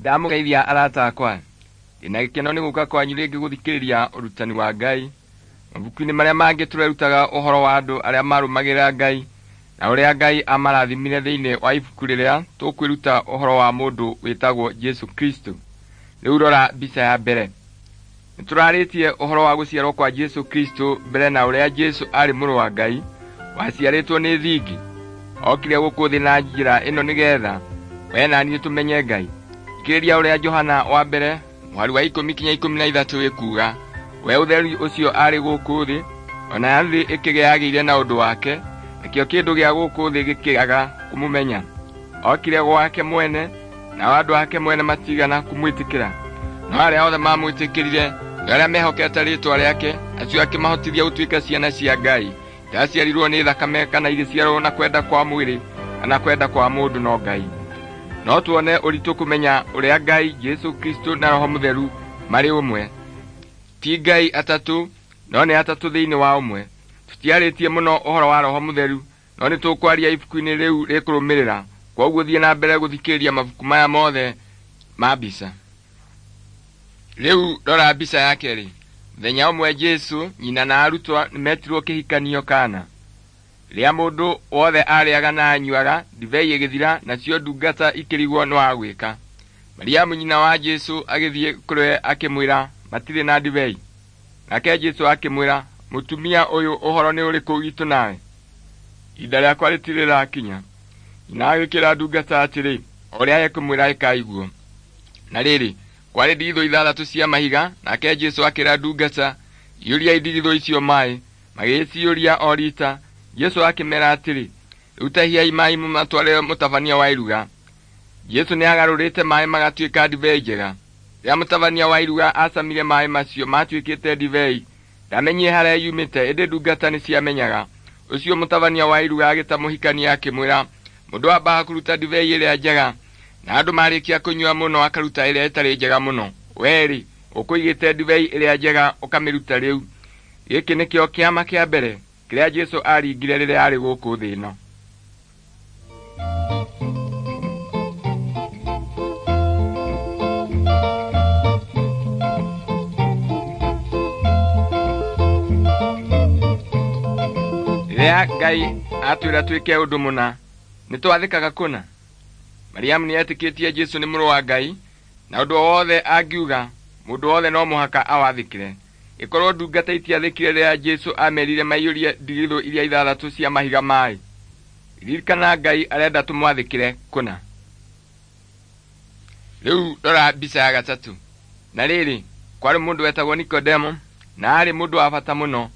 Ndamũgeithia arata akwa, ndĩna gĩkeno nĩ gũka kwanyu rĩngĩ gũthikĩrĩria ũrutani wa Ngai. Mabuku-inĩ marĩa mangĩ tũrerutaga ũhoro wa andũ arĩa marũmagĩrĩra Ngai na ũrĩa Ngai amarathimire thĩinĩ wa ibuku rĩrĩa tũkwĩruta ũhoro wa mũndũ wĩtagwo Jesu Kristo. Rĩu rora mbica ya mbere. Nĩtũrarĩtie ũhoro wa gũciarwo kwa Jesu Kristo mbere na ũrĩa Jesu aarĩ mũrũ wa Ngai waciarĩtwo nĩ thingi. Okire gũkũ thĩ na njĩra ĩno nĩgetha we na niĩ tũmenye Ngai. Thikĩrĩria ũrĩa Johana wa mbere mũhari wa 10 kinya 13 ĩkuuga, we ũtheri ũcio aarĩ gũkũ thĩ, ona thĩ ĩkĩgĩagĩire na ũndũ wake, nakĩo kĩndũ gĩa gũkũ thĩ gĩkĩaga kũmũmenya. Okire gwake mwene, nao andũ ake mwene matigana kũmwĩtĩkĩra. No arĩa othe mamwĩtĩkĩrire, nĩ arĩa mehokete rĩĩtwa rĩake, acio akĩmahotithia gũtuĩka ciana cia Ngai. Ndaciarirwo nĩ thakame kana igĩciarwo na kwenda kwa mwĩrĩ kana kwenda kwa mũndũ no Ngai. No tuone ũritũ kũmenya ũrĩa Ngai, Jesu Kristo na Roho Mũtheru marĩ ũmwe. Ti Ngai atatũ, no nĩ atatũ thĩinĩ wa ũmwe. Tũtiarĩtie mũno ũhoro wa Roho Mũtheru, no nĩtũkwaria ibuku-inĩ rĩu rĩkũrũmĩrĩra. Kwoguo thiĩ na mbere gũthikĩrĩria mabuku maya mothe ma mbica. Rĩu rora mbica ya kerĩ. Mũthenya ũmwe Jesu, nyina na arutwo nĩmetirwo kĩhikanio Kana. Rĩrĩa mũndũ wothe arĩaga na anyuaga, ndibei ĩgĩthira, nacio ndungata ikĩrigwo nĩ wa gwĩka. Mariamu nyina wa Jesu agĩthiĩ kũrĩ we akĩmwĩra, matirĩ na ndibei. Nake Jesu akĩmwĩra, mũtumia ũyũ ũhoro nĩ ũrĩkũ witũ nawe? Ihinda rĩakwa rĩtirĩ rĩrakinya. Nyina agĩkĩra ndungata atĩrĩ, o ũrĩa ekũmwĩra ĩkai guo. Na rĩrĩ, kwarĩ ndigithũ 6 cia mahiga, nake Jesu akĩra ndungata, iyũriai ndigithũ icio maaĩ. Magĩciyũria o riita. Jesu akĩmera atĩrĩ, rĩu tahiai maaĩ mũmatwarĩre mũtabania wa iruga. Jesu nĩagarũrĩte maaĩ magatuĩka ndibei njega. Rĩrĩa mũtabania wa iruga acamire maaĩ macio matuĩkĩte ndibei, ndamenyire harĩa yumĩte, ĩndĩ ndungata nĩciamenyaga. Ũcio mũtabania wa iruga agĩta mũhikania akĩmwĩra, mũndũ ambaga kũruta ndibei ĩrĩa njega, na andũ marĩkia kũnyua mũno akaruta ĩrĩa ĩtarĩ njega mũno. We-rĩ, ũkũigĩte ndibei ĩrĩa njega ũkamĩruta rĩu. Gĩkĩ nĩkĩo kĩama kĩa mbere kĩrĩa Jesu aringire rĩrĩa aarĩ gũkũ thĩ ĩno. Rĩrĩa Ngai atwĩra twĩke ũndũ mũna, nĩtwathĩkaga kũna. Mariamu nĩetĩkĩtie Jesu nĩ mũrũ wa Ngai, na ũndũ o wothe angiuga, mũndũ wothe no mũhaka awathĩkĩre. Ĩkorwo ndungata itiathĩkire rĩrĩa Jesu amerire maiyũrie ndigithũ iria 6 cia mahiga maaĩ. Ririkana Ngai arenda tũmwathĩkĩre kũna. Rĩu rora mbica ya gatatũ. Na rĩrĩ, kwarĩ mũndũ wetagwo Nikodemo, na aarĩ mũndũ wa bata mũno.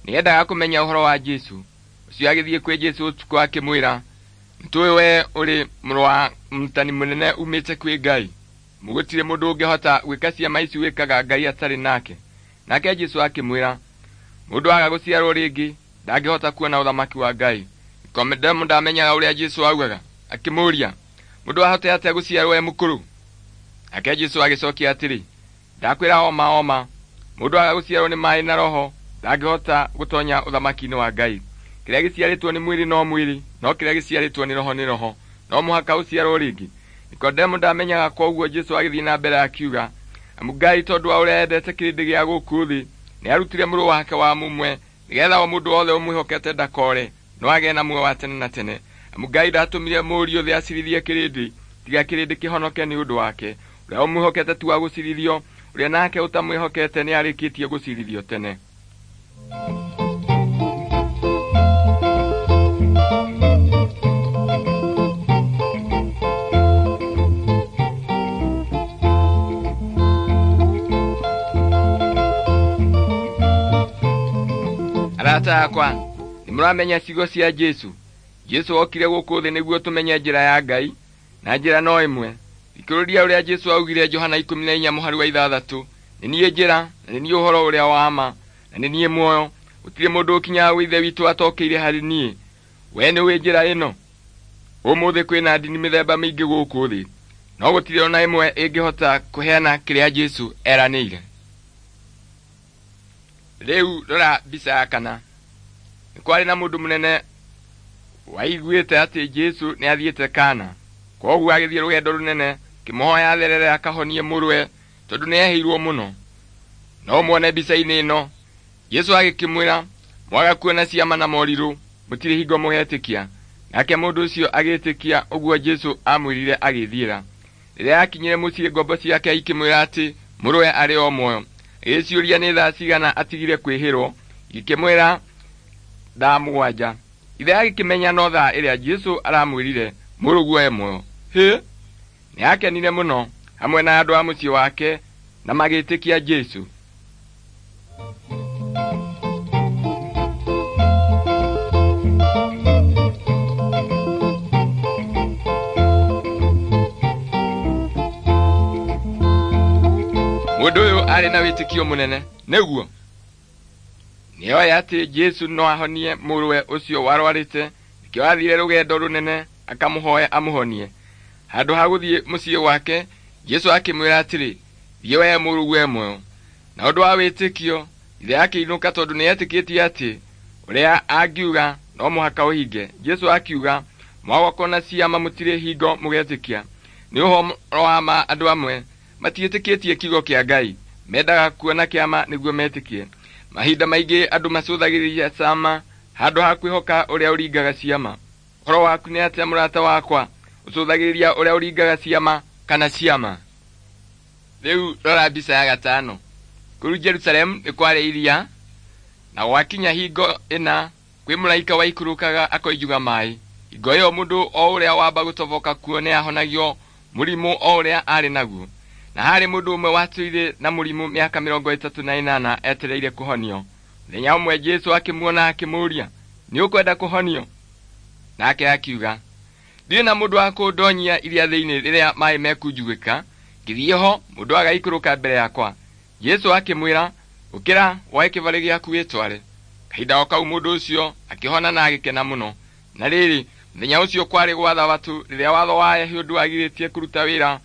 Nĩendaga kũmenya ũhoro wa Jesu. Ũcio agĩthiĩ kwĩ Jesu ũtukũ akĩmwĩra, nĩtũĩ we ũrĩ mũrũ wa mũrutani mũnene umĩte kwĩ Ngai. Gũtirĩ mũndũ ũngĩhota gwĩka ciama ici wĩkaga Ngai atarĩ nake. Nake Jesu akĩmwĩra, mũndũ aga gũciarwo rĩngĩ ndangĩhota kuona ũthamaki wa Ngai. Nikodemo ndamenyaga ũrĩa Jesu augaga, akĩmũũria, mũndũ ahote atĩa gũciarwo e mũkũrũ? Nake Jesu agĩcokia atĩrĩ, ndakwĩra oma oma, mũndũ aga gũciarwo nĩ maaĩ na Roho ndangĩhota gũtonya ũthamaki-inĩ wa Ngai. Kĩrĩa gĩciarĩtwo nĩ mwĩrĩ no mwĩrĩ, no kĩrĩa gĩciarĩtwo nĩ Roho nĩ roho. No mũhaka ũciarwo rĩngĩ. Nikodemo ndamenyaga, kwoguo Jesu agĩthiĩ na mbere akiuga, amu Ngai tondũ wa ũrĩa endete kĩrĩndĩ gĩa gũkũ thĩ, nĩarutire mũrũ wake wa mũmwe, nĩgetha o mũndũ wothe ũmwĩhokete ndakore, no agĩe na muoyo wa tene na tene. Amu Ngai ndatũmire Mũriũ thĩ acirithie kĩrĩndĩ, tiga kĩrĩndĩ kĩhonoke nĩ ũndũ wake. Ũrĩa ũmwĩhokete ti wa gũcirithio, ũrĩa nake ũtamwĩhokete nĩarĩkĩtie gũcirithio tene. Arata akwa, nĩmũramenya ciugo cia Jesu. Jesu okire gũkũ thĩ nĩguo tũmenye njĩra ya Ngai, na njĩra no ĩmwe. Thikĩrĩria ũrĩa Jesu augire Johana 14 mũhari wa 6, nĩ niĩ njĩra, na nĩ niĩ ũhoro ũrĩa wa ma, na nĩ niĩ muoyo. Gũtirĩ mũndũ ũkinyaga gwĩ Ithe witũ atokĩire harĩ niĩ. We nĩũĩ njĩra ĩno? Ũmũthĩ kwĩna ndini mĩthemba mĩingĩ gũkũ thĩ, no gũtirĩ ona ĩmwe ĩngĩhota kũheana kĩrĩa Jesu eranĩire. Rĩu rora mbica ya kana. Nĩ kwarĩ na mũndũ mũnene waiguĩte atĩ Jesu nĩathiĩte Kana. Kwoguo agĩthiĩ rũgendo rũnene Akĩmũhoya atherere akahonie mũrũwe tondũ nĩehĩirwo mũno. No muone mbica-inĩ ĩno. Jesũ agĩkĩmwĩra, mwaga kuona ciama na morirũ mũtirĩ hingo mũgetĩkia. Nake mũndũ ũcio agĩtĩkia ũguo Jesũ amwĩrire agĩthiĩra. Rĩrĩa akinyire mũciĩ ngombo ciake ikĩmwĩra atĩ mũrũwe arĩ o muoyo. Agĩciũria nĩ thaa cigana atigire kwĩhĩrwo, ikĩmwĩra thaa 7. Ithe agĩkĩmenya no thaa ĩrĩa Jesũ aramwĩrire mũrũguo e muoyo. Hĩ! Nĩakenire mũno hamwe na andũ a mũciĩ wake na magĩtĩkia Jesũ. Mũndũ ũyũ arĩ na wĩtĩkio mũnene, nĩguo? Nĩoĩ atĩ Jesũ no ahonie mũrũwe ũcio warwarĩte, nĩkĩo aathire rũgendo rũnene akamũhoe amũhonie. Handũ ha gũthiĩ mũciĩ gwake, Jesũ akĩmwĩra atĩrĩ, thiĩ wee mũrũguo e muoyo. Na ũndũ wa wĩtĩkio, ithe akĩinũka tondũ nĩetĩkĩtie atĩ ũrĩa angiuga no mũhaka ũhinge. Jesũ akiuga, mwaga kuona ciama mũtirĩ hingo mũgetĩkia. Nĩ ũhoro wa ma andũ amwe matiĩtĩkĩtie kiugo kĩa Ngai, mendaga kuona kĩama nĩguo metĩkie. Mahinda maingĩ andũ macũthagĩrĩria ciama handũ ha kwĩhoka ũrĩa ũringaga ciama. Ũhoro waku nĩ atĩa mũrata wakwa? Ũcũthagĩrĩria ũrĩa ũringaga ciama kana ciama? Rĩu rora mbica ya 5. Kũu Jerusalemu nĩ kwarĩ iria, na gwakinya hingo ĩna kwĩ mũraika waikũrũkaga akoinjuga maĩ. Hingo ĩyo mũndũ o ũrĩa wamba gũtoboka kuo nĩahonagio mũrimũ o ũrĩa arĩ naguo. Na harĩ mũndũ ũmwe watũire na mũrimũ mĩaka 38 etereire kũhonio. Mũthenya ũmwe Jesũ akĩmuona akĩmũũria, nĩ ũkwenda kũhonio? Nake akiuga, ndirĩ na mũndũ wa kũndonyia iria thĩinĩ rĩrĩa maĩ mekunjugĩka, ngĩthiĩ ho mũndũ agaikũrũka mbere yakwa. Jesũ akĩmwĩra, ũkĩra woe kĩbarĩ gĩaku wĩtware. Kahinda o kau mũndũ ũcio akĩhona na agĩkena mũno. Na rĩrĩ, mũthenya ũcio kwarĩ gwa Thabatũ rĩrĩa watho wa Ayahudi wagirĩtie kũruta wĩra,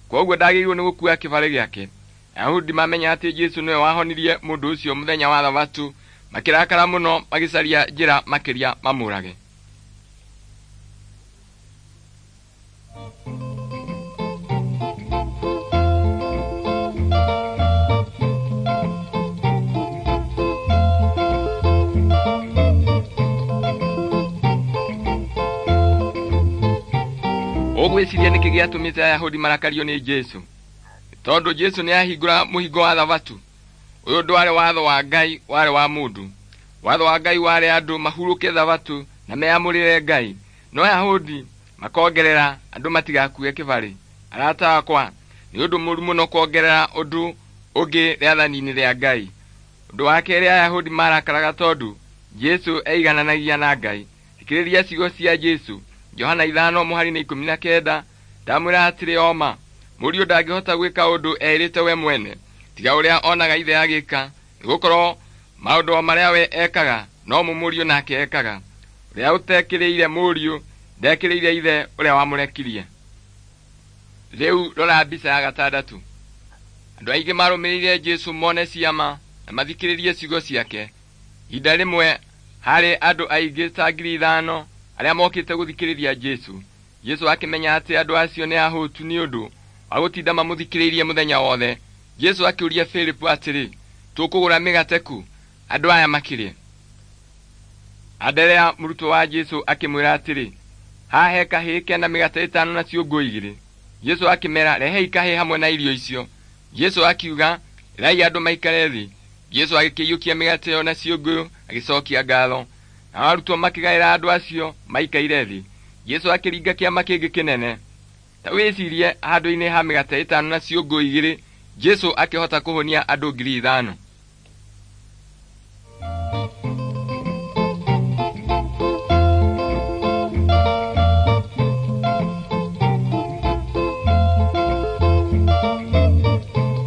kwoguo ndagĩrĩirwo nĩ gũkua kĩbarĩ gĩake. Ayahudi mamenya atĩ Jesũ nĩwe wahonirie mũndũ ũcio mũthenya wa Thabatũ, makĩrakara mũno magĩcaria njĩra makĩria mamũrage. Ũgwĩciria nĩkĩ gĩatũmĩte Ayahudi marakario nĩ Jesũ? Tondũ Jesũ nĩahingũra mũhingo wa Thabatũ. Ũyũ ndwarĩ watho wa Ngai, warĩ wa mũndũ. Watho wa Ngai warĩ andũ mahurũke Thabatũ na meamũrĩre Ngai. No Ayahudi makongerera andũ matigakue kĩbarĩ. Arata akwa, nĩ ũndũ mũũru mũno kuongerera ũndũ ũngĩ rĩathani-inĩ rĩa Ngai. Ũndũ wa kerĩ, Ayahudi marakaraga tondũ Jesũ eigananagia na Ngai. Thikĩrĩria ciugo cia Jesũ. Johana 5:19, ndamwĩra atĩrĩ o ma, mũriũ ndangĩhota gwĩka ũndũ eĩrĩte we mwene, tiga ũrĩa onaga ithe agĩka, nĩgũkorwo maũndũ o marĩa we ekaga no mo mũriũ nake ekaga. Ũrĩa ũtekĩrĩire mũriũ ndekĩrĩire ithe ũrĩa wamũrekirie. Rĩu rora mbica ya 6. Andũ aingĩ marũmĩrĩire Jesũ mone ciama na mathikĩrĩrie ciugo ciake. Ihinda rĩmwe harĩ andũ aingĩ ta 5,000 arĩa mokĩte gũthikĩrĩria Jesũ. Jesũ akĩmenya atĩ andũ acio nĩ ahũtu nĩ ũndũ wa gũtinda mamũthikĩrĩirie mũthenya wothe. Jesũ akĩũria Filipu atĩrĩ, tũkũgũra mĩgate kũ andũ aya makĩrĩe? Anderea mũrutwo wa Jesũ akĩmwĩra atĩrĩ, haha he kahĩĩ kena mĩgate 5 na ciũngũ 2. Jesũ akĩmera, rehei kahĩĩ hamwe na irio icio. Jesũ akiuga, ĩrai andũ maikare thĩ. Jesũ agĩkĩiyũkia mĩgate ĩyo na ciũngũyũ agĩcokia ngatho. Nao arutwo makĩgaĩra andũ acio maikaire thĩ. Jesũ akĩringa kĩama kĩngĩ kĩnene. Ta wĩcirie, handũ-inĩ ha mĩgate 5 na ciũngũ 2, Jesũ akĩhota kũhũnia andũ 5,000.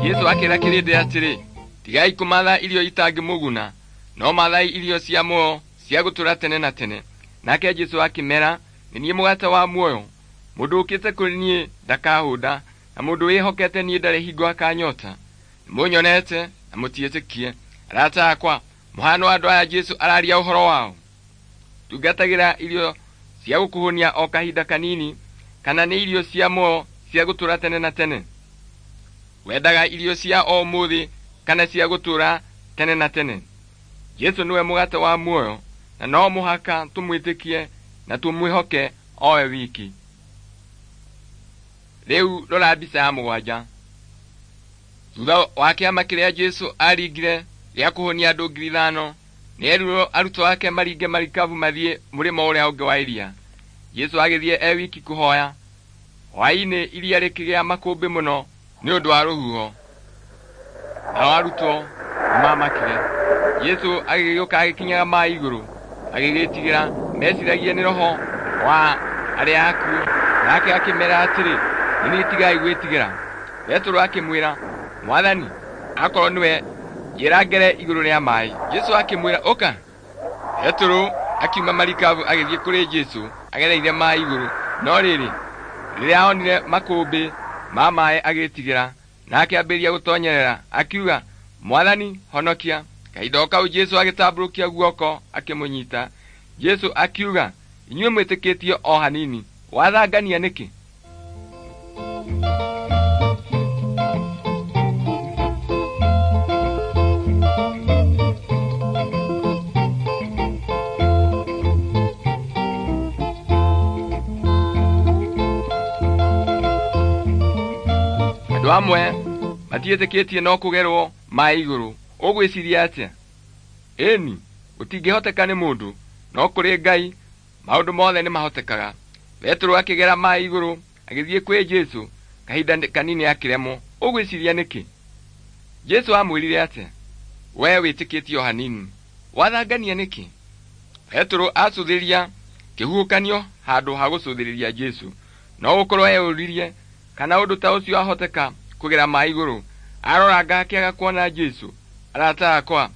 Jesũ akĩra kĩrĩndĩ atĩrĩ, tigai kũmatha irio itangĩmũguna, no mathai irio cia muoyo cia gũtũũra tene na tene. Nake Jesũ akĩmera, nĩ niĩ mũgate wa muoyo. Mũndũ ũkĩte kũrĩ niĩ ndakahũnda, na mũndũ wĩhokete niĩ ndarĩ hingo akanyota. Nĩmũnyonete na mũtiĩtĩkie. Arata akwa, mũhano wa andũ aya Jesũ araria ũhoro wao. Tungatagĩra irio cia gũkũhũnia o kahinda kanini, kana nĩ irio cia muoyo cia cia gũtũũra tene na tene? Wendaga irio cia o ũmũthĩ kana cia gũtũũra tene na tene? Jesũ nĩwe mũgate wa muoyo, na no mũhaka tũmwĩtĩkie na tũmwĩhoke owe wiki. Rĩu rora mbica ya 7. Thutha wa kĩama kĩrĩa Jesũ aringire gĩa kũhũnia andũ 5,000, nĩerirwo arutwo ake maringe marikabu mathiĩ mũrĩmo ũrĩa ũngĩ wa iria. Jesũ agĩthiĩ e wiki kũhoya. Hwaĩ-inĩ iria rĩkĩgĩa makũmbĩ mũno nĩ ũndũ wa rũhuho, nao arutwo nĩmamakire. Jesũ agĩgĩũka agĩkinyaga maĩ igũrũ, agĩgĩtigĩra meciragie nĩ roho wa arĩa akuũ. Nake akĩmera atĩrĩ, nĩ niĩ, tigai gwĩtigĩra. Petero akĩmwĩra, Mwathani, akorwo nĩwe, njĩra ngere igũrũ rĩa maĩ. Jesũ akĩmwĩra, ũka. Petero akiuma marikabu agĩthiĩ kũrĩ Jesũ agereire maĩ igũrũ. No rĩrĩ, rĩrĩa onire makũmbĩ ma maĩ agĩtigĩra, na akĩambĩrĩria gũtonyerera, akiuga, Mwathani, honokia. Kahinda o kau Jesũ agĩtambũrũkia guoko akĩmũnyita. Jesũ akiuga, inyuĩ mwĩtĩkĩtie o hanini, wathangania nĩkĩ? Andũ amwe matiĩtĩkĩtie no kũgerwo maĩ igũrũ. Ũgwĩciria atĩa? Ĩni, gũtingĩhoteka nĩ mũndũ, no kũrĩ Ngai maũndũ mothe nĩmahotekaga. Petero akĩgera maĩ igũrũ agĩthiĩ kwĩ Jesũ, kahinda kanini akĩremwo. Ũgwĩciria nĩkĩ? Jesũ amwĩrire atĩa? We wĩtĩkĩtie o hanini, wathangania nĩkĩ? Petero acũthĩria kĩhuhũkanio handũ ha gũcũthĩrĩria Jesũ. No gũkorwo eyũririe kana ũndũ ta ũcio ahoteka kũgera maĩ igũrũ. Aroranga akĩaga kuona Jesũ. Arata akwa,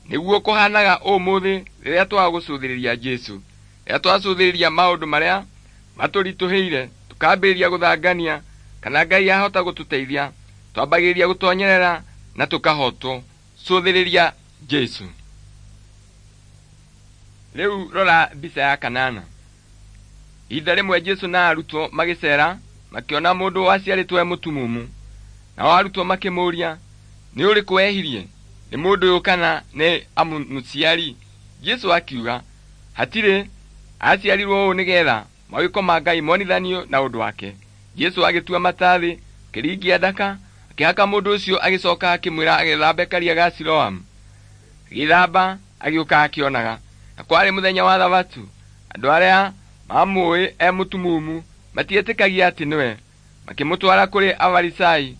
nĩguo kũhanaga ũmũthĩ rĩrĩa twaga gũcũthĩrĩria Jesũ. Rĩrĩa twacũthĩrĩria maũndũ marĩa matũritũhĩire, tũkambĩrĩria gũthangania kana Ngai ahota gũtũteithia, twambagĩrĩria gũtonyerera na tũkahotwo. Cũthĩrĩria Jesũ. Rĩu rora mbica ya 8. Ihinda rĩmwe Jesũ na arutwo magĩceera, makĩona mũndũ waciarĩtwo e mũtumumu. Nao arutwo makĩmũũria, nĩ ũrĩkũ wehirie, nĩ mũndũ ũyũ kana nĩ amũciari? Jesũ akiuga, hatirĩ, aciarirwo ũũ nĩgetha mawĩko ma Ngai monithanio na ũndũ wake. Jesũ agĩtua mata thĩ, akĩringia ndaka, akĩhaka mũndũ ũcio, agĩcoka akĩmwĩra agethambe karia ga Siloamu. Agĩthamba, agĩũka akĩonaga. Na kwarĩ mũthenya wa Thabatũ. Andũ arĩa mamũĩ e mũtumumu matietĩkagia atĩ nĩwe. Makĩmũtwara kũrĩ Afarisai,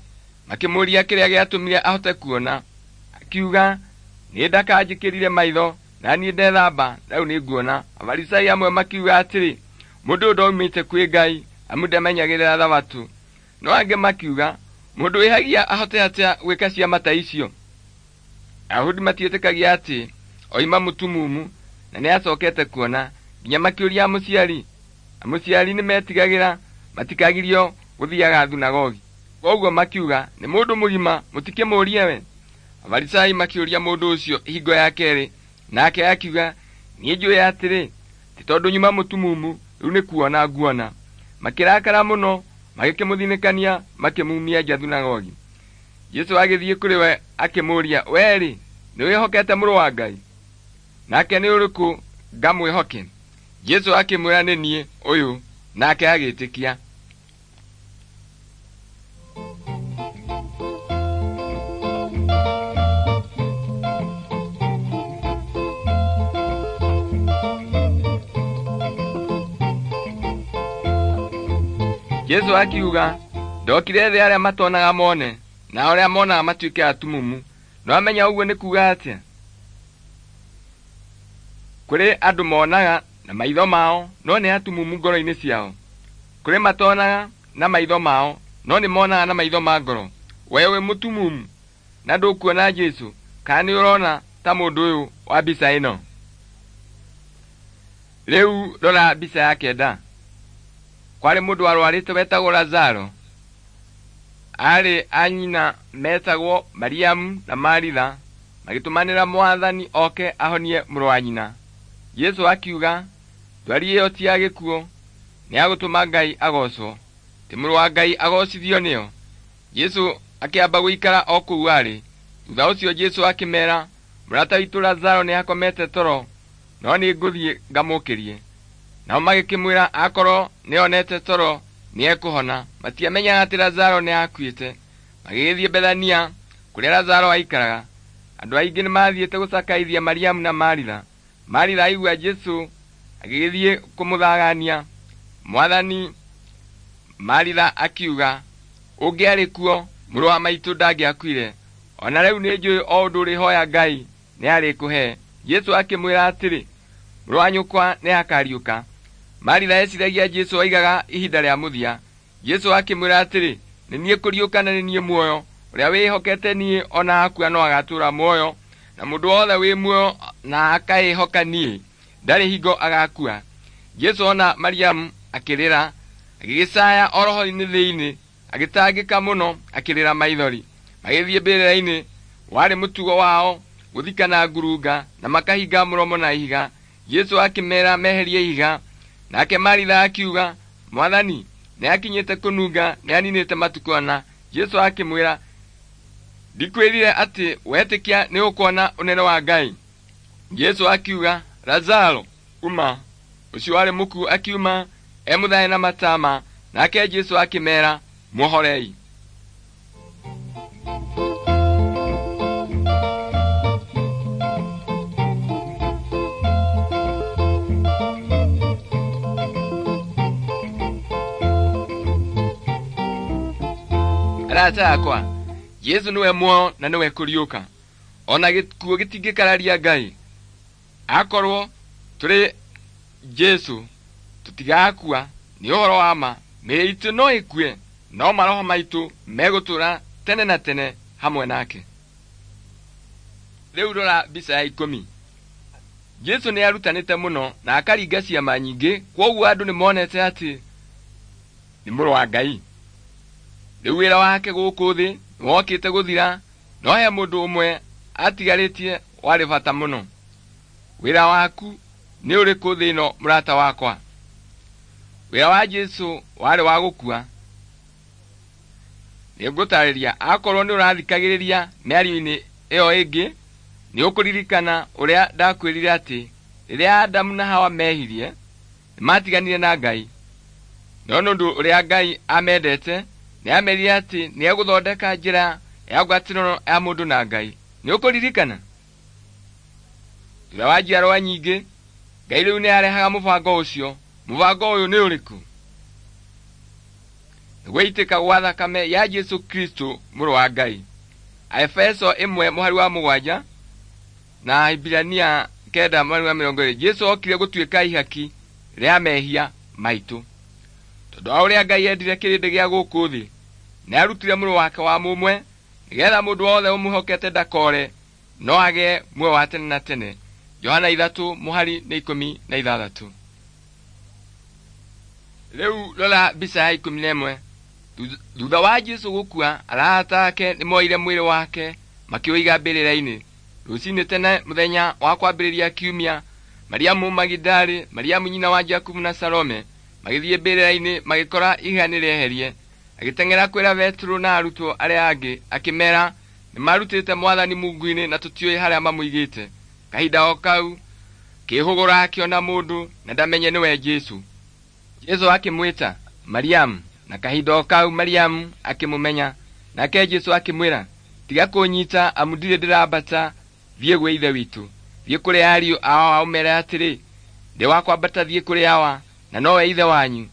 makĩmũũria kĩrĩa gĩatũmire ahote kuona. Akiuga, nĩ ndaka njĩkĩrire maitho, na niĩ ndethamba, rĩu nĩnguona. Afarisai amwe makiuga atĩrĩ, mũndũ ũyũ ndoimĩte kwĩ Ngai, amu ndamenyagĩrĩra Thabatũ. No angĩ makiuga, mũndũ wĩhagia ahote atĩa gwĩka ciama ta icio? Ayahudi matietĩkagia atĩ oima mũtumumu na nĩacokete kuona, nginya makĩũria amũciari. Amũciari nĩmetigagĩra matikagirio gũthiaga thunagogi. Koguo makiuga, nĩ mũndũ mũgima, mũtikĩmũũrie we. Afarisai makĩũria mũndũ ũcio hingo ya kerĩ, nake akiuga, niĩ njũĩ atĩrĩ, ti tondũ nyuma mũtumumu, rĩu nĩ kuona nguona. Makĩrakara mũno, magĩkĩmũthinĩkania, makĩmumia nja thunagogi. Jesũ agĩthiĩ kũrĩ we akĩmũũria, we-rĩ, nĩwĩhokete mũrũ wa Ngai? Nake nĩ ũrĩkũ ngamwĩhoke? Jesũ akĩmwĩra, nĩ niĩ ũyũ. Nake agĩtĩkia. Jesũ akiuga, ndokire thĩ arĩa matonaga mone, na arĩa monaga matuĩke atumumu. No amenya ũguo nĩ kuuga atĩa? Kũrĩ andũ monaga na maitho mao, no nĩ atumumu ngoro-inĩ ciao. Kũrĩ matonaga na maitho mao, no nĩ monaga na maitho ma ngoro. We wĩ mũtumumu na ndũkuona Jesũ, kana nĩ ũrona ta mũndũ ũyũ wa mbica ĩno? Rĩu rora mbica ya 9. Kwarĩ mũndũ warwarĩte wetagwo Lazaro. Aarĩ a nyina metagwo Mariamu na Maritha, magĩtũmanĩra Mwathani oke ahonie mũrũ wa nyina. Jesũ akiuga, ndwari ĩyo ti ya gĩkuũ, nĩ ya gũtũma Ngai agocwo. Atĩ mũrũ wa Ngai agocithio nĩo. Jesũ akĩamba gũikara o kũu arĩ. Thutha ũcio Jesũ akĩmeera, mũrata witũ Lazaro nĩakomete toro, no nĩngũthiĩ ngamũũkĩrie. Nao magĩkĩmwĩra akorwo nĩonete toro nĩekũhona. Matiamenyaga atĩ Lazaro nĩakuĩte. Magĩgĩthiĩ Bethania kũrĩa Lazaro aikaraga. Andũ aingĩ nĩmathiĩte gũcakaithia Mariamu na Maritha. Maritha aigua Jesũ agĩgĩthiĩ kũmũthagania. Mwathani, Maritha akiuga, ũngĩarĩ kuo mũrũ wa maitũ ndangĩakuire. Ona rĩu nĩnjũĩ o ũndũ ũrĩhoya Ngai nĩarĩkũhe. Jesũ akĩmwĩra atĩrĩ, mũrũ wa nyũkwa nĩakariũka. Maritha eciragia Jesũ oigaga ihinda rĩa mũthia. Jesũ akĩmwĩra atĩrĩ, nĩ niĩ kũriũka na nĩ niĩ muoyo. Ũrĩa wĩhokete niĩ ona akua no agatũũra muoyo, na mũndũ wothe wĩ muoyo na akaĩhoka niĩ ndarĩ hingo agakua. Jesũ ona Mariamu akĩrĩra, agĩgĩcaya o roho-inĩ thĩinĩ, agĩtangĩka mũno, akĩrĩra maithori. Magĩthiĩ mbĩrĩra-inĩ, warĩ mũtugo wao gũthikana ngurunga na makahinga mũromo na ihiga. Jesũ akĩmeera meherie ihiga. Nake Maritha akiuga, Mwathani, nĩakinyĩte kũnunga, nĩaninĩte matukũ ana. Jesũ akĩmwĩra, ndikwĩrire atĩ wetĩkia nĩũkuona ũnene wa Ngai. Jesũ akiuga, Lazaro, uma. Ũcio warĩ mũkuũ akiuma emũthae na matama. Nake Jesũ akĩmeera, muohorei. Arata akwa, Jesũ nĩwe muoyo na nĩwe kũriũka. Ona gĩkuũ gĩtingĩkararia Ngai. Akorwo tũrĩ Jesũ tũtigakua, nĩ ũhoro wa ma. Mĩĩrĩ itũ no ĩkue, no maroho maitũ megũtũũra tene na tene hamwe nake. Rĩu rora mbica ya 10. Jesũ nĩarutanĩte mũno na akaringa ciama nyingĩ, kwoguo andũ nĩmonete atĩ nĩ mũrũ wa Ngai. Rĩu wĩra wake gũkũ thĩ nĩwokĩte gũthira, no he mũndũ ũmwe atigarĩtie warĩ bata mũno. Wĩra waku nĩ ũrĩkũ thĩ ĩno mũrata wakwa? Wĩra wa Jesũ warĩ wa gũkua. Nĩngũtarĩria, akorwo nĩũrathikagĩrĩria mĩario-inĩ ĩyo ĩngĩ, nĩũkũririkana ũrĩa ndakwĩrire atĩ rĩrĩa Adamu na Hawa mehirie, nĩmatiganire na Ngai. No nĩ ũndũ ũrĩa Ngai amendete, nĩamerire atĩ nĩegũthondeka njĩra ya ngwatanĩro ya mũndũ na Ngai. Nĩũkũririkana? Thutha wa njiarwa nyingĩ, Ngai rĩu nĩarehaga mũbango ũcio. Mũbango ũyũ nĩ ũrĩkũ? Nĩ gũitĩka gwa thakame ya Jesũ Kristo mũrũ wa Ngai. Aefeso 1 mũhari wa 7 na Ahibirania 9 mũhari wa 20. Jesũ okire gũtuĩka ihaki rĩa mehia maitũ. Tondũ wa ũrĩa Ngai endire kĩrĩndĩ gĩa gũkũ thĩ, nĩarutire mũrũ wake wa mũmwe, nĩgetha mũndũ wothe ũmwĩhokete ndakore, no agĩe muoyo wa tene na tene. Johana 3 mũhari nĩ 16. Rĩu rora mbica ya 11. Thutha wa Jesũ gũkua, arata ake nĩmoire mwĩrĩ wake makĩũiga mbĩrĩra-inĩ. Rũcinĩ tene mũthenya wa kwambĩrĩria kiumia, Mariamu Magidali, Mariamu nyina wa Jakubu na Salome magĩthiĩ mbĩrĩra-inĩ magĩkora ihiga nĩrĩeherie. Agĩteng'era kwĩra Petero na arutwo arĩa angĩ akĩmeera, nĩmarutĩte Mwathani mungu-inĩ na tũtiũĩ harĩa mamũigĩte. Kahinda o kau kĩhũgũra akĩona mũndũ na ndamenye nĩwe Jesũ. Jesũ akĩmwĩta Mariamu, na kahinda o kau Mariamu akĩmũmenya. Nake Jesũ akĩmwĩra, tiga kũnyita amu ndirĩ ndĩrambata thiĩ gwĩ Ithe witũ. Thiĩ kũrĩ ariũ ao ũmeere atĩrĩ, ndĩ wa kwambata thiĩ kũrĩ Awa na nowe Ithe wanyu,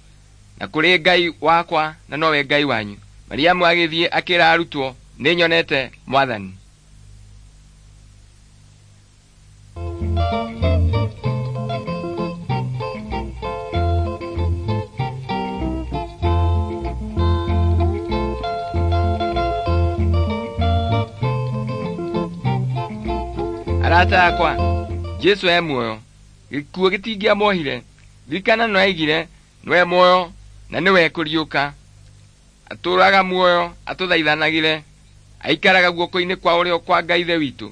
na kũrĩ Ngai wakwa na nowe Ngai wanyu. Mariamu agĩthiĩ akĩra arutwo, nĩnyonete Mwathani. Arata akwa, Jesũ e muoyo. Gĩkuũ gĩtingĩamuohire. Ririkana no aigire nĩwe muoyo na nĩwe kũriũka. Atũũraga muoyo atũthaithanagĩre. Aikaraga guoko-inĩ kwa ũrĩo kwa Ngai Ithe witũ.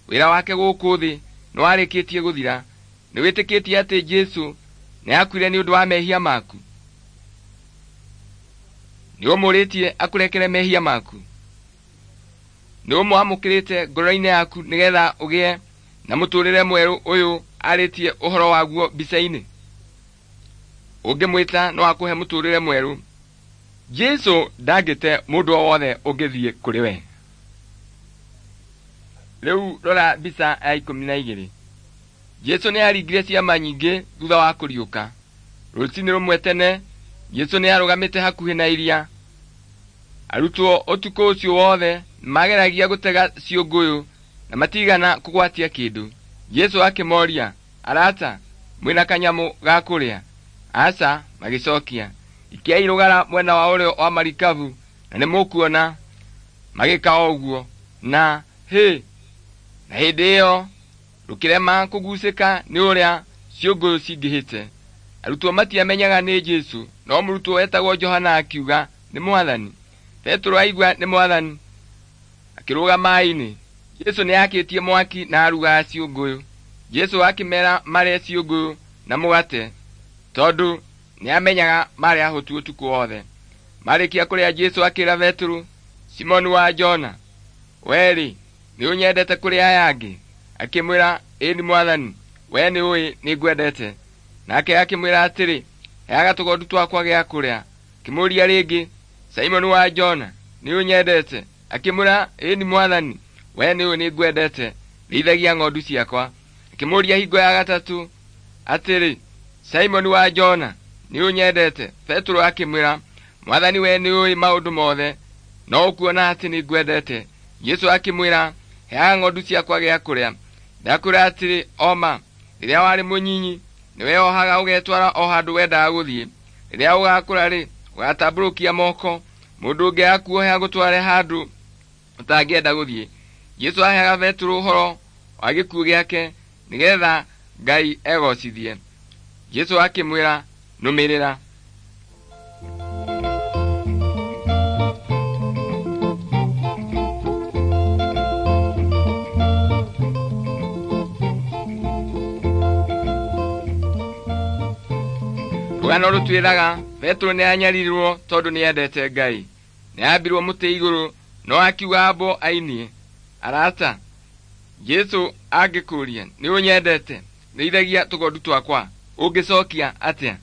Wĩra wake gũkũ thĩ nĩwarĩkĩtie gũthira. Nĩwĩtĩkĩtie atĩ Jesũ nĩakuire nĩ ũndũ wa mehia maku? Nĩ ũmũrĩtie akũrekere mehia maku? Nĩ ũmwamũkĩrĩte ngoro-inĩ yaku nĩgetha ũgĩe na mũtũrĩre mwerũ ũyũ arĩtie ũhoro waguo mbica-inĩ? Ũngĩmwĩta no akũhe mũtũrĩre mwerũ. Jesũ ndangĩte mũndũ o wothe ũngĩthiĩ kũrĩ we. Rĩu rora mbica ya 12. Jesũ nĩaringire ciama nyingĩ thutha wa kũriũka. Rũcinĩ rũmwe tene, Jesũ nĩarũgamĩte hakuhĩ na iria. Arutwo ũtukũ ũcio wothe mageragia gũtega ciũngũyũ na matigana kũgwatia kĩndũ. Jesũ akĩmoria, "Arata, mwĩna kanyamũ ga kũrĩa?" Aca, magĩcokia. Ikiai rũgara mwena wa ũrĩo wa marikabu na nĩmũkuona. Magĩka o ũguo, na hĩ! Na hĩndĩ ĩyo rũkĩrema kũgucĩka nĩ ũrĩa ciũngũyũ cingĩhĩte. Arutwo matiamenyaga nĩ Jesũ, no mũrutwo wetagwo Johana akiuga, "Nĩ Mwathani." Petero aigua nĩ Mwathani, akĩrũga maĩ-inĩ. Jesũ nĩakĩtie mwaki na arugaga ciũngũyũ. Jesũ akĩmeera marĩe ciũngũyũ na mũgate tondũ nĩamenyaga marĩ ahũtu ũtukũ wothe. Marĩkia kũrĩa Jesũ akĩĩra Petero, "Simoni wa Jona, wee-rĩ, nĩũnyendete kũrĩ aya angĩ?" Akĩmwĩra, "Ĩni Mwathani, wee nĩũĩ nĩngwendete." Nake akĩmwĩra atĩrĩ, "Heaga tũgondu twakwa gĩa kũrĩa." Akĩmũũria rĩngĩ, "Simoni wa Jona, nĩũnyendete?" Akĩmwĩra, "Ĩni Mwathani, wee nĩũĩ nĩngwendete. Rĩithagia ng'ondu ciakwa." Akĩmũũria hingo ya gatatũ atĩrĩ, "Simoni wa Jona, nĩũnyendete?" Petero akĩmwĩra, "Mwathani, wee nĩũĩ maũndũ mothe, no ũkuona atĩ nĩngwendete." Jesũ akĩmwĩra, "Heaga ng'ondu ciakwa gĩa kũrĩa. Ndakwĩra atĩrĩ o ma, rĩrĩa warĩ mũnyinyi nĩweohaga ũgetwara o handũ wendaga gũthiĩ. Rĩrĩa ũgaakũra-rĩ, ũgatambũrũkia moko, mũndũ ũngĩ akuohe agũtware handũ ũtangĩenda gũthiĩ." Jesũ aheaga Petero ũhoro wa gĩkuũ gĩake nĩgetha Ngai egocithie. Jesũ akĩmwĩra, "Nũmĩrĩra." Rũgano rũtwĩraga Petero nĩanyaririrwo tondũ nĩendete Ngai. Nĩambirwo mũtĩ igũrũ no akiuga ambwo ainie. Arata, Jesũ angĩkũũria nĩũnyendete, rĩithagia tũgondu twakwa, ũngĩcokia atĩa?